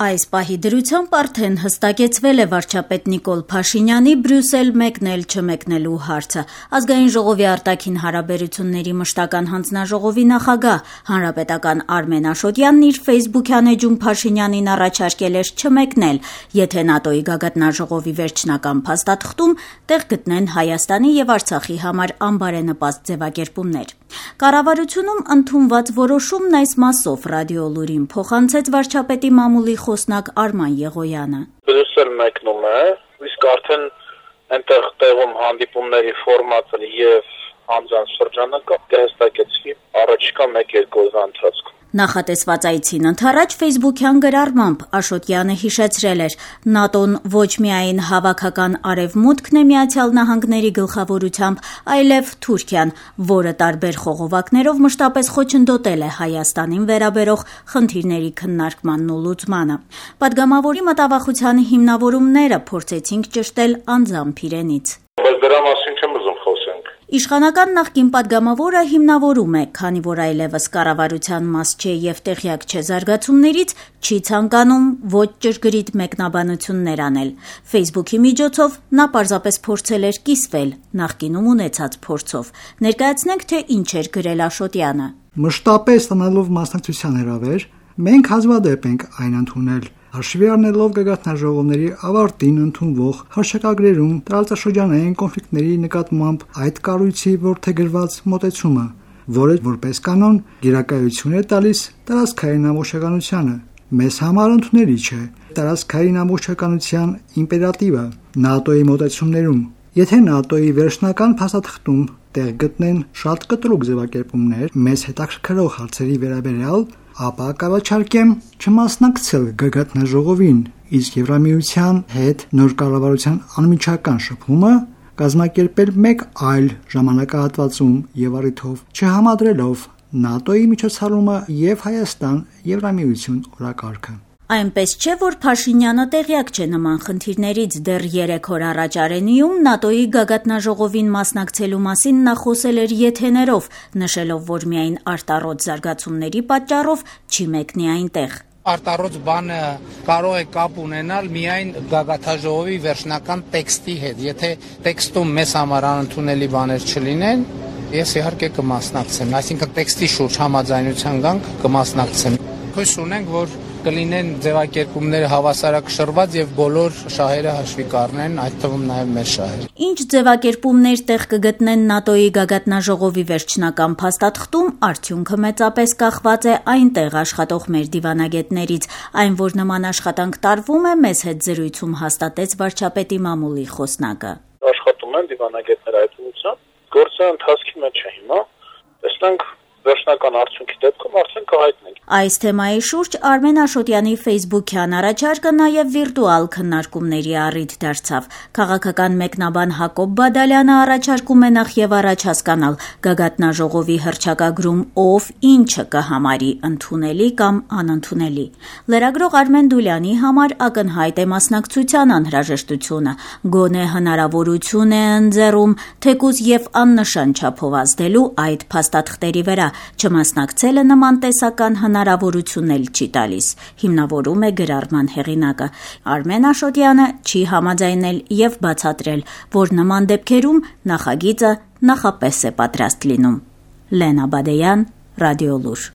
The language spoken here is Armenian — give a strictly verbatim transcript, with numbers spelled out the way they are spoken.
Այս պահի դրությամբ արդեն հստակեցվել է վարչապետ Նիկոլ Փաշինյանի Բրյուսել մեկնել-չմեկնելու հարցը։ Ազգային ժողովի արտաքին հարաբերությունների մշտական հանձնաժողովի նախագահ հանրապետական Արմեն Աշոտյանն իր ֆեյսբուքյան էջում Փաշինյանին առաջարկել էր չմեկնել, եթե ՆԱՏՕ-ի գագաթնաժողովի վերջնական փաստաթղթում տեղ գտնեն Հայաստանի եւ Արցախի համար անբարենպաստ ձևակերպումներ։ Կառավարությունում ընդունված որոշումն այս մասով ռադիո լուրին փոխանցեց վարչապետի մամուլի խոսնակ Արման Եղոյանը։ Բրյուսել մեկնում է, իսկ արդեն այնտեղ տեղում հանդիպումների ֆորմատը եւ անձանց շրջանակը կհստակեցվի առաջիկա մեկ-երկու օրվա ընթացքում։ Նախատեսված այցին ընդառաջ ֆեյսբուքյան գրառմամբ Աշոտյանը հիշեցրել էր, ՆԱՏՕ-ն ոչ միայն հավաքական արևմուտքն է Միացյալ Նահանգների գլխավորությամբ, այլև Թուրքիան, որը տարբեր խողովակներով մշտապես խոչընդոտել է Հայաստանին վերաբերող խնդիրների քննարկմանն ու լուծմանը։ Պատգամավորի մտավախության հիմնավորումները փորձեցինք ճշտել անձամբ իրենից։ Բայց դրա մասին չեմ ուզում խոսենք։ Իշխանական նախկին պատգամավորը հիմնավորում է, քանի որ այլևս կառավարության մաս չէ եւ տեղյակ չէ զարգացումներից, չի ցանկանում ոչ ճշգրիտ մեկնաբանություններ անել։ Ֆեյսբուքի միջոցով նա պարզապես փորձել էր կիսվել նախկինում ունեցած փորձով։ Ներկայացնենք, թե ինչ էր գրել Աշոտյանը։ Մշտապես տնելով մասնակցության հրավեր, մենք հազվադեպ ենք այն ընդունել, հաշվի առնելով գագաթնաժողովների ավարտին ընդունվող հռչակագրերում տարածաշրջանային կոնֆլիկտների նկատմամբ այդ կառույցի որդեգրված մոտեցումը, որը որպես կանոն գերակայություն է տալիս տարածքային ամբողջականությանը։ Մեզ համար ընդունելի չէ տարածքային ամբողջականության իմպերատիվը ՆԱՏՕ-ի մոտեցումներում։ Եթե ՆԱՏՕ-ի վերջնական փաստաթղթում տեղ գտնեն շատ կտրուկ ձևակերպումներ մեզ հետաքրքրող հարցերի վերաբերյալ, ապա կառաջարկեմ չմասնակցել գագաթնաժողովին, իսկ Եվրամիության հետ նոր կառավարության անմիջական շփումը կազմակերպել մեկ այլ ժամանակահատվածում եւ առիթով չհամադրելով ՆԱՏՕ-ի միջոցառումը եւ Հայաստան-Եվրամիություն օրակարգը։ Այնպես չէ, որ Փաշինյանը տեղյակ չէ նման խնդիրներից։ Դեռ երեք օր առաջ Արենիում ՆԱՏՕ-ի գագաթնաժողովին մասնակցելու մասին նա խոսել էր եթեներով, նշելով, որ միայն արտառոց զարգացումների պատճառով չի մեկնի այնտեղ։ Արտառոց բանը կարող է կապ ունենալ միայն գագաթնաժողովի վերջնական տեքստի հետ։ Եթե տեքստում մեզ համար անընդունելի բաներ չլինեն, ես իհարկե կմասնակցեմ, այսինքն տեքստի շուրջ համաձայնության գանք կմասնակցեմ։ Հույս ունենք, որ կլինեն ձևակերպումները հավասարակշռված եւ բոլոր շահերը հաշվի կառնեն, այդ թվում նաեւ մեր շահերը։ Ինչ ձևակերպումներ տեղ կգտնեն ՆԱՏՕ-ի գագաթնաժողովի վերջնական փաստաթղթում, արդյունքը մեծապես կախված է այնտեղ աշխատող մեր դիվանագետներից, այն որ նման աշխատանք տարվում է, մեզ հետ զրույցում հաստատեց վարչապետի մամուլի խոսնակը։ Աշխատում են դիվանագետները այդ ուղղությամբ, գործը ընթացքի մեջ է հիմա, տեսնենք վերջնական արդյունքի դեպքում արդեն կհայտնենք։ Այս թեմայի շուրջ Արմեն Աշոտյանի ֆեյսբուքյան առաջարկը նաև վիրտուալ քննարկումների առիթ դարձավ։ Քաղաքական մեկնաբան Հակոբ Բադալյանը առաջարկում է նախ եւ առաջ հասկանալ գագաթնաժողովի հռչակագրում ով ինչը կհամարի ընդունելի կամ անընդունելի։ Լրագրող Արմեն Դուլյանի համար ակնհայտ է մասնակցության անհրաժեշտությունը, գոնե հնարավորություն է ընձեռում թեկուզ եւ աննշան չափով ազդելու այդ փաստաթղթերի վրա։ Չմասնակցելը նման տեսական հնարավորություն էլ չի տալիս, հիմնավորում է գրառման հեղինակը։ Արմեն Աշոտյանը չի համաձայնել եւ բացատրել, որ նման դեպքերում նախագիծը նախապես է պատրաստ լինում։ Լենա Բադեյան, Ռադիո լուր։